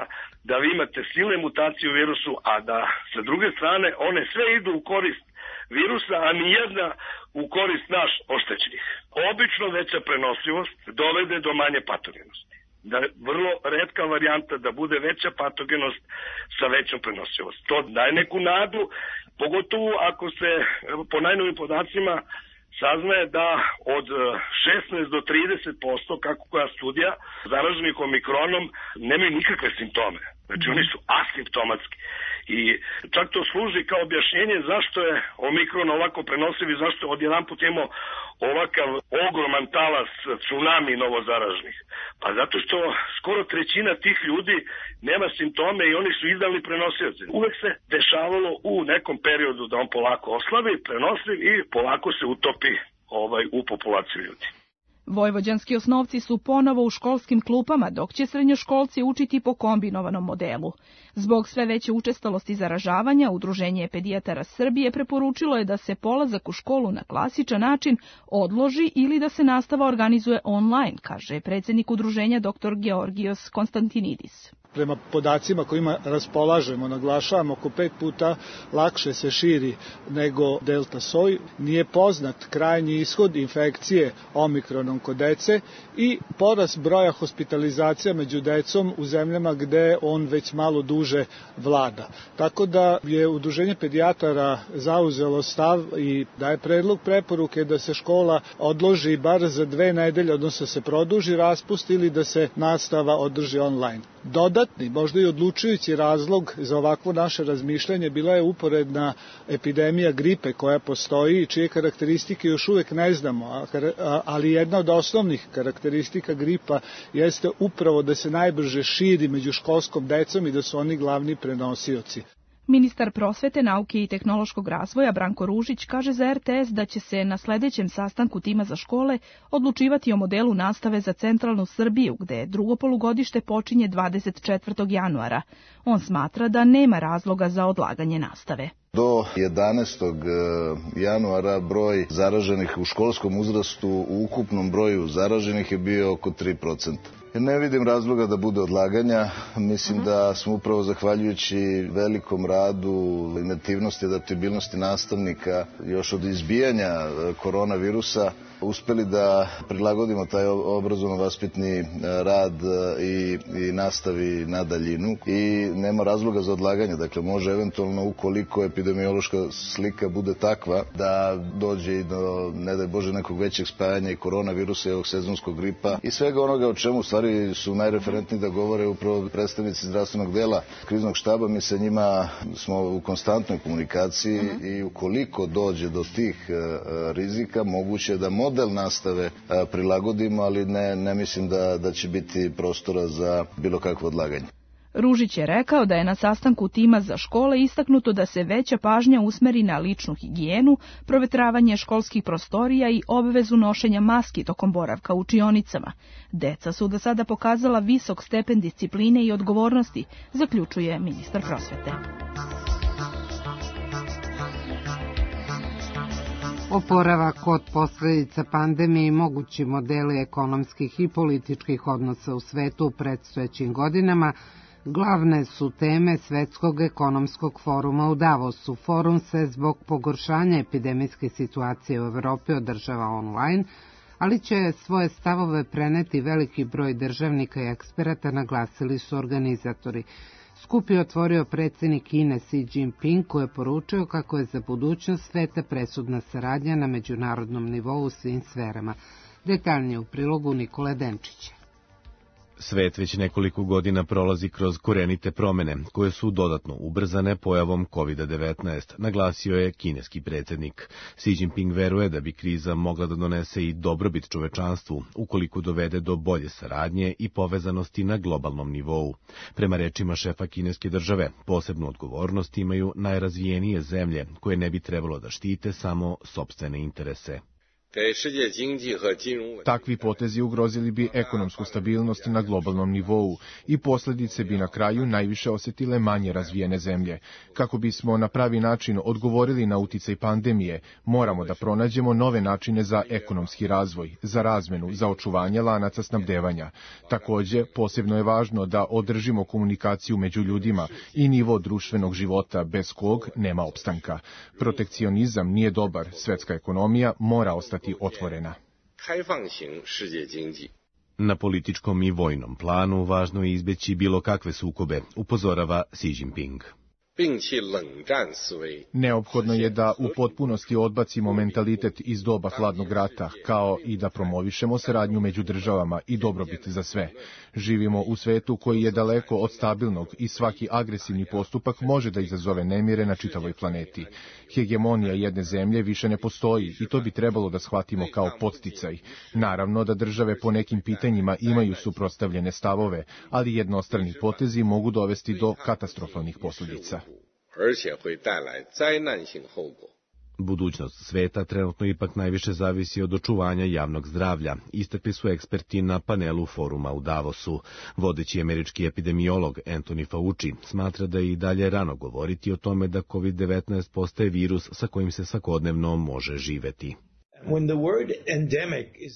da vi imate silne mutacije u virusu, a da sa druge strane one sve idu u korist virusa, a nijedna u korist naš oštećenih. Obično veća prenosivost dovede do manje patogenosti. Da je vrlo retka varijanta da bude veća patogenost sa većom prenosivost. To daje neku nadu, pogotovo ako se po najnovim podacima saznaje da od šesnaest do trideset posto, kako koja studija, zaraženih omikronom nemaju nikakve simptome. Znači oni su asimptomatski. I čak to služi kao objašnjenje zašto je omikron ovako prenosiv i zašto odjedanput imamo ovakav ogroman talas tsunami novozaraženih. Pa zato što skoro trećina tih ljudi nema simptome i oni su idealni prenosioci. Uvek se dešavalo u nekom periodu da on polako oslabi, prenosi i polako se utopi ovaj, u populaciju ljudi. Vojvođanski osnovci su ponovo u školskim klupama, dok će srednjoškolci učiti po kombinovanom modelu. Zbog sve veće učestalosti zaražavanja, Udruženje pedijatara Srbije preporučilo je da se polazak u školu na klasičan način odloži ili da se nastava organizuje online, kaže predsjednik udruženja dr Georgijos Konstantinidis. Prema podacima kojima raspolažemo, naglašavamo, oko pet puta lakše se širi nego delta soj. Nije poznat krajnji ishod infekcije omikronom kod dece i porast broja hospitalizacija među decom u zemljama gde on već malo duže vlada. Tako da je Udruženje pedijatara zauzelo stav i daje predlog preporuke da se škola odloži bar za dve nedelje, odnosno se produži raspust ili da se nastava održi online. Dodatni, možda i odlučujući razlog za ovakvo naše razmišljanje bila je uporedna epidemija gripe koja postoji i čije karakteristike još uvek ne znamo, ali jedna od osnovnih karakteristika gripa jeste upravo da se najbrže širi među školskom decom i da su oni glavni prenosioci. Ministar prosvete, nauke i tehnološkog razvoja Branko Ružić kaže za er te es da će se na sledećem sastanku tima za škole odlučivati o modelu nastave za centralnu Srbiju, gde drugo polugodište počinje dvadeset četvrtog januara. On smatra da nema razloga za odlaganje nastave. Do jedanaestog januara broj zaraženih u školskom uzrastu u ukupnom broju zaraženih je bio oko tri procenta. Ne vidim razloga da bude odlaganja. Mislim da smo upravo zahvaljujući velikom radu, inativnosti, adaptibilnosti nastavnika još od izbijanja koronavirusa uspeli da prilagodimo taj obrazovno-vaspitni rad i, i nastavi na daljinu i nema razloga za odlaganje. Dakle, može eventualno ukoliko epidemiološka slika bude takva da dođe i do, ne daj Bože, nekog većeg spajanja i koronavirusa i ovog sezonskog gripa i svega onoga o čemu u stvari su najreferentniji da govore upravo predstavnici zdravstvenog dela kriznog štaba. Mi sa njima smo u konstantnoj komunikaciji uh-huh. i ukoliko dođe do tih uh, rizika, moguće je da model nastave uh, prilagodimo, ali ne, ne mislim da, da će biti prostora za bilo kakvo odlaganje. Ružić je rekao da je na sastanku tima za škole istaknuto da se veća pažnja usmeri na ličnu higijenu, provetravanje školskih prostorija i obavezu nošenja maski tokom boravka u učionicama. Deca su do sada pokazala visok stepen discipline i odgovornosti, zaključuje ministar prosvete. Oporavak od posljedica pandemije i mogući modeli ekonomskih i političkih odnosa u svetu u predstojećim godinama glavne su teme Svetskog ekonomskog foruma u Davosu. Forum se zbog pogoršanja epidemijske situacije u Evropi održava online, ali će svoje stavove preneti veliki broj državnika i eksperata, naglasili su organizatori. Skup je otvorio predsjednik Kine Xi Jinping, koji je poručio kako je za budućnost sveta presudna saradnja na međunarodnom nivou u svim sferama. Detaljnije u prilogu Nikole Denčića. Svet već nekoliko godina prolazi kroz korenite promene, koje su dodatno ubrzane pojavom kovid devetnaest, naglasio je kineski predsjednik. Xi Jinping veruje da bi kriza mogla da donese i dobrobit čovečanstvu, ukoliko dovede do bolje saradnje i povezanosti na globalnom nivou. Prema rečima šefa kineske države, posebnu odgovornost imaju najrazvijenije zemlje, koje ne bi trebalo da štite samo sopstvene interese. Takvi potezi ugrozili bi ekonomsku stabilnost na globalnom nivou i posljedice bi na kraju najviše osjetile manje razvijene zemlje. Kako bismo na pravi način odgovorili na uticaj pandemije, moramo da pronađemo nove načine za ekonomski razvoj, za razmenu, za očuvanje lanaca snabdevanja. Takođe, posebno je važno da održimo komunikaciju među ljudima i nivo društvenog života bez kog nema opstanka. Protekcionizam nije dobar, svetska ekonomija mora ostati otvorena. Na političkom i vojnom planu važno je izbeći bilo kakve sukobe, upozorava Xi Jinping. Neophodno je da u potpunosti odbacimo mentalitet iz doba hladnog rata, kao i da promovišemo saradnju među državama i dobrobit za sve. Živimo u svetu koji je daleko od stabilnog i svaki agresivni postupak može da izazove nemire na čitavoj planeti. Hegemonija jedne zemlje više ne postoji i to bi trebalo da shvatimo kao podsticaj. Naravno da države po nekim pitanjima imaju suprotstavljene stavove, ali jednostrani potezi mogu dovesti do katastrofalnih posljedica. Budućnost sveta trenutno ipak najviše zavisi od očuvanja javnog zdravlja, istakli su eksperti na panelu foruma u Davosu. Vodeći američki epidemiolog Anthony Fauci smatra da je i dalje rano govoriti o tome da kovid devetnaest postaje virus sa kojim se svakodnevno može živeti.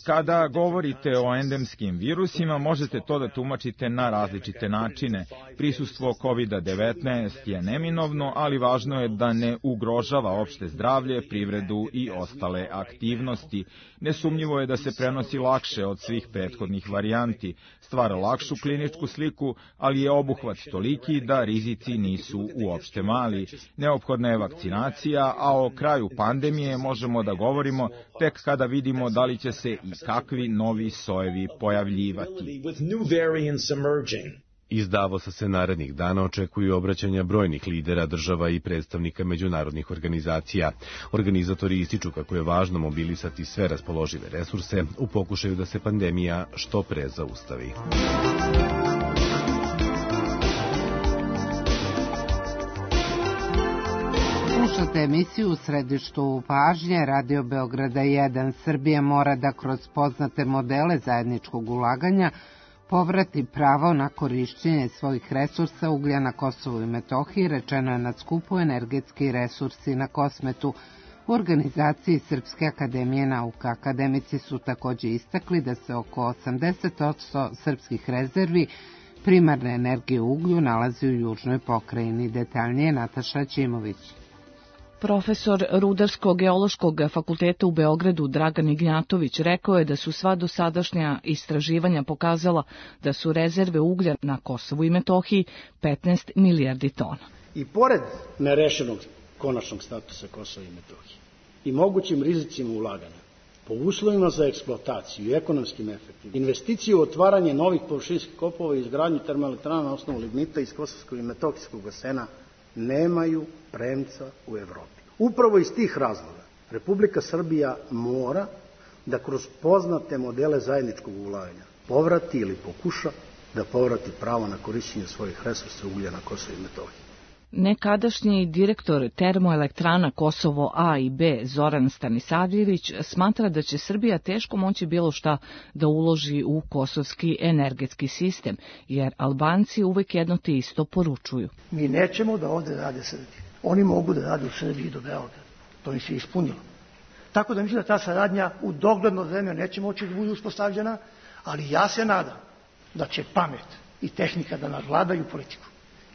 Kada govorite o endemskim virusima, možete to da tumačite na različite načine. Prisustvo kovid devetnaest je neminovno, ali važno je da ne ugrožava opšte zdravlje, privredu i ostale aktivnosti. Nesumnjivo je da se prenosi lakše od svih prethodnih varijanti, stvara lakšu kliničku sliku, ali je obuhvat toliki da rizici nisu uopšte mali. Neophodna je vakcinacija, a o kraju pandemije možemo da govorimo tek kada vidimo da li će se i kakvi novi sojevi pojavljivati. Iz Davosa se narednih dana očekuju obraćanja brojnih lidera država i predstavnika međunarodnih organizacija. Organizatori ističu kako je važno mobilisati sve raspoložive resurse u pokušaju da se pandemija što pre zaustavi. Slušate emisiju u središtu pažnje Radio Beograda jedan. Srbija mora da kroz poznate modele zajedničkog ulaganja povrati pravo na korišćenje svojih resursa uglja na Kosovu i Metohiji, rečeno je na skupu Energetski resursi na Kosmetu u organizaciji Srpske akademije nauka. Akademici su takođe istakli da se oko osamdeset posto srpskih rezervi primarne energije u uglju nalazi u južnoj pokrajini. Detaljnije Nataša Ćimović. Profesor Rudarsko-geološkog fakulteta u Beogradu Dragan Ignjatović rekao je da su sva dosadašnja istraživanja pokazala da su rezerve uglja na Kosovu i Metohiji petnaest milijardi tona. I pored nerešenog konačnog statusa Kosova i Metohije i mogućim rizicima ulaganja, po uslovima za eksploataciju i ekonomskim efektima, investicije u otvaranje novih površinskih kopova i izgradnju termoelektrana na osnovu lignita iz Kosovskog i Metohijskog basena nemaju premca u Evropi. Upravo iz tih razloga Republika Srbija mora da kroz poznate modele zajedničkog ulaganja povrati ili pokuša da povrati pravo na korišćenje svojih resursa uglja na Kosovo i Metohiji. Nekadašnji direktor termoelektrana Kosovo A i B Zoran Stanisavljević smatra da će Srbija teško moći bilo šta da uloži u kosovski energetski sistem, jer Albanci uvek jedno te isto poručuju. Mi nećemo da ovde rade Srbije. Oni mogu da rade u Srbiji do Beograda. To im se ispunilo. Tako da mislim da ta saradnja u dogledno vreme neće moći da bude uspostavljena, ali ja se nadam da će pamet i tehnika da nadvladaju politiku.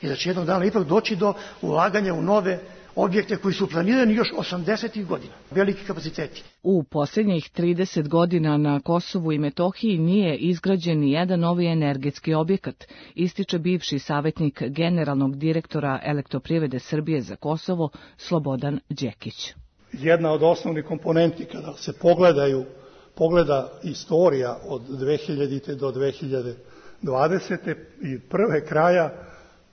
I da će jednog dana ipak doći do ulaganja u nove objekte koji su planirani još osamdesetih godina. Veliki kapaciteti. U posljednjih trideset godina na Kosovu i Metohiji nije izgrađen ni jedan novi energetski objekat, ističe bivši savjetnik generalnog direktora Elektroprivrede Srbije za Kosovo Slobodan Đekić. Jedna od osnovnih komponenti kada se pogledaju, pogleda istorija od dve hiljadite do dve hiljade dvadesete i prve kraja,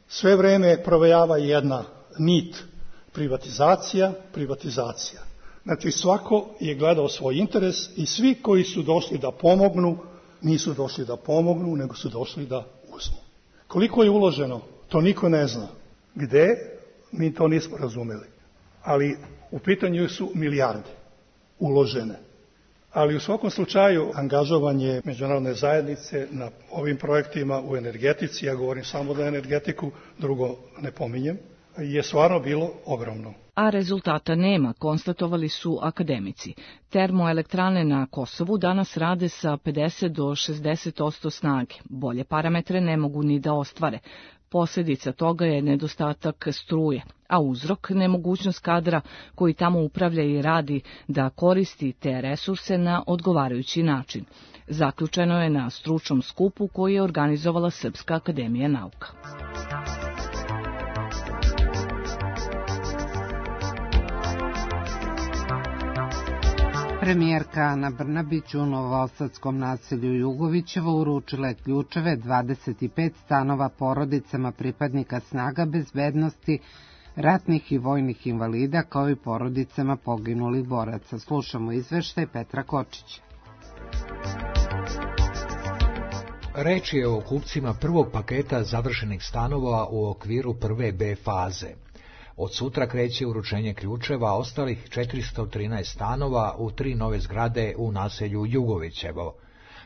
sve vreme provejava jedna nit privatizacija, privatizacija. Znači svako je gledao svoj interes i svi koji su došli da pomognu, nisu došli da pomognu, nego su došli da uzmu. Koliko je uloženo, to niko ne zna. Gde, mi to nismo razumeli. Ali u pitanju su milijarde uložene. Ali u svakom slučaju angažovanje međunarodne zajednice na ovim projektima u energetici, ja govorim samo za energetiku, drugo ne pominjem, je stvarno bilo ogromno. A rezultata nema, konstatovali su akademici. Termoelektrane na Kosovu danas rade sa pedeset do šezdeset posto snage. Bolje parametre ne mogu ni da ostvare. Posljedica toga je nedostatak struje, a uzrok nemogućnost kadra koji tamo upravlja i radi da koristi te resurse na odgovarajući način. Zaključeno je na stručnom skupu koji je organizovala Srpska akademija nauka. Premijerka Ana Brnabić u novosadskom naselju Jugovićevo uručila je ključeve dvadeset pet stanova porodicama pripadnika snaga bezbednosti, ratnih i vojnih invalida, kao i porodicama poginulih boraca. Slušamo izveštaj Petra Kočića. Reč je o kupcima prvog paketa završenih stanova u okviru prve B faze. Od sutra kreće uručenje ključeva ostalih četiristo trinaest stanova u tri nove zgrade u naselju Jugovićevo.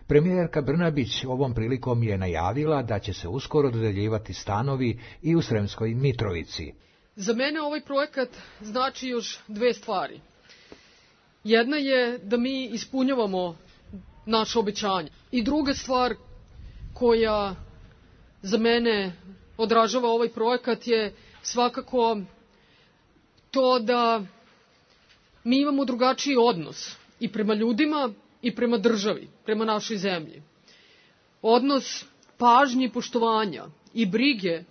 Premijerka Brnabić ovom prilikom je najavila da će se uskoro dodeljivati stanovi i u Sremskoj Mitrovici. Za mene ovaj projekat znači još dve stvari. Jedna je da mi ispunjavamo naše obećanje. I druga stvar koja za mene odražava ovaj projekat je svakako to da mi imamo drugačiji odnos i prema ljudima i prema državi, prema našoj zemlji. Odnos pažnje i poštovanja i brige,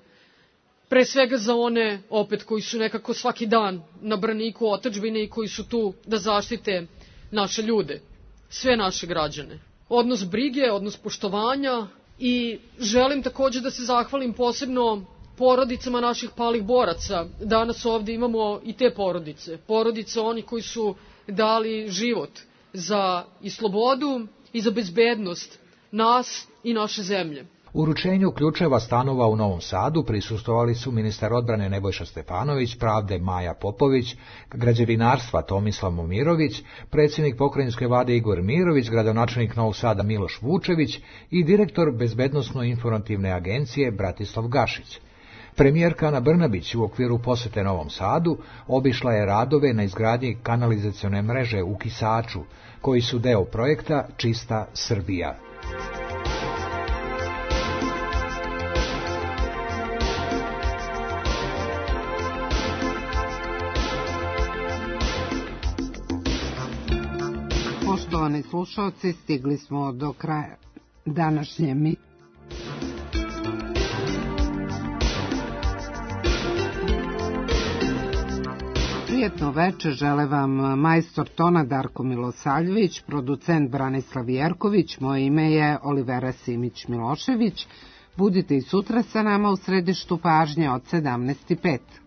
pre svega za one opet koji su nekako svaki dan na braniku otadžbine i koji su tu da zaštite naše ljude, sve naše građane. Odnos brige, odnos poštovanja i želim takođe da se zahvalim posebno porodicama naših palih boraca. Danas ovde imamo i te porodice, porodice oni koji su dali život za i slobodu i za bezbednost nas i naše zemlje. Uručenju ključeva stanova u Novom Sadu prisustvovali su ministar odbrane Nebojša Stefanović, pravde Maja Popović, građevinarstva Tomislav Momirović, predsjednik pokrajinske vlade Igor Mirović, gradonačelnik Novog Sada Miloš Vučević i direktor Bezbednosno-informativne agencije Bratislav Gašić. Premijerka Ana Brnabić u okviru posete Novom Sadu obišla je radove na izgradnji kanalizacione mreže u Kisaču, koji su deo projekta Čista Srbija. Poštovani slušalci, stigli smo do kraja današnje mi. Prijetno veče žele vam majstor tona Darko Milosavljević, producent Branislav Jerković, moje ime je Olivera Simić-Milošević. Budite i sutra sa nama u središtu pažnje od sedamnaest i pet.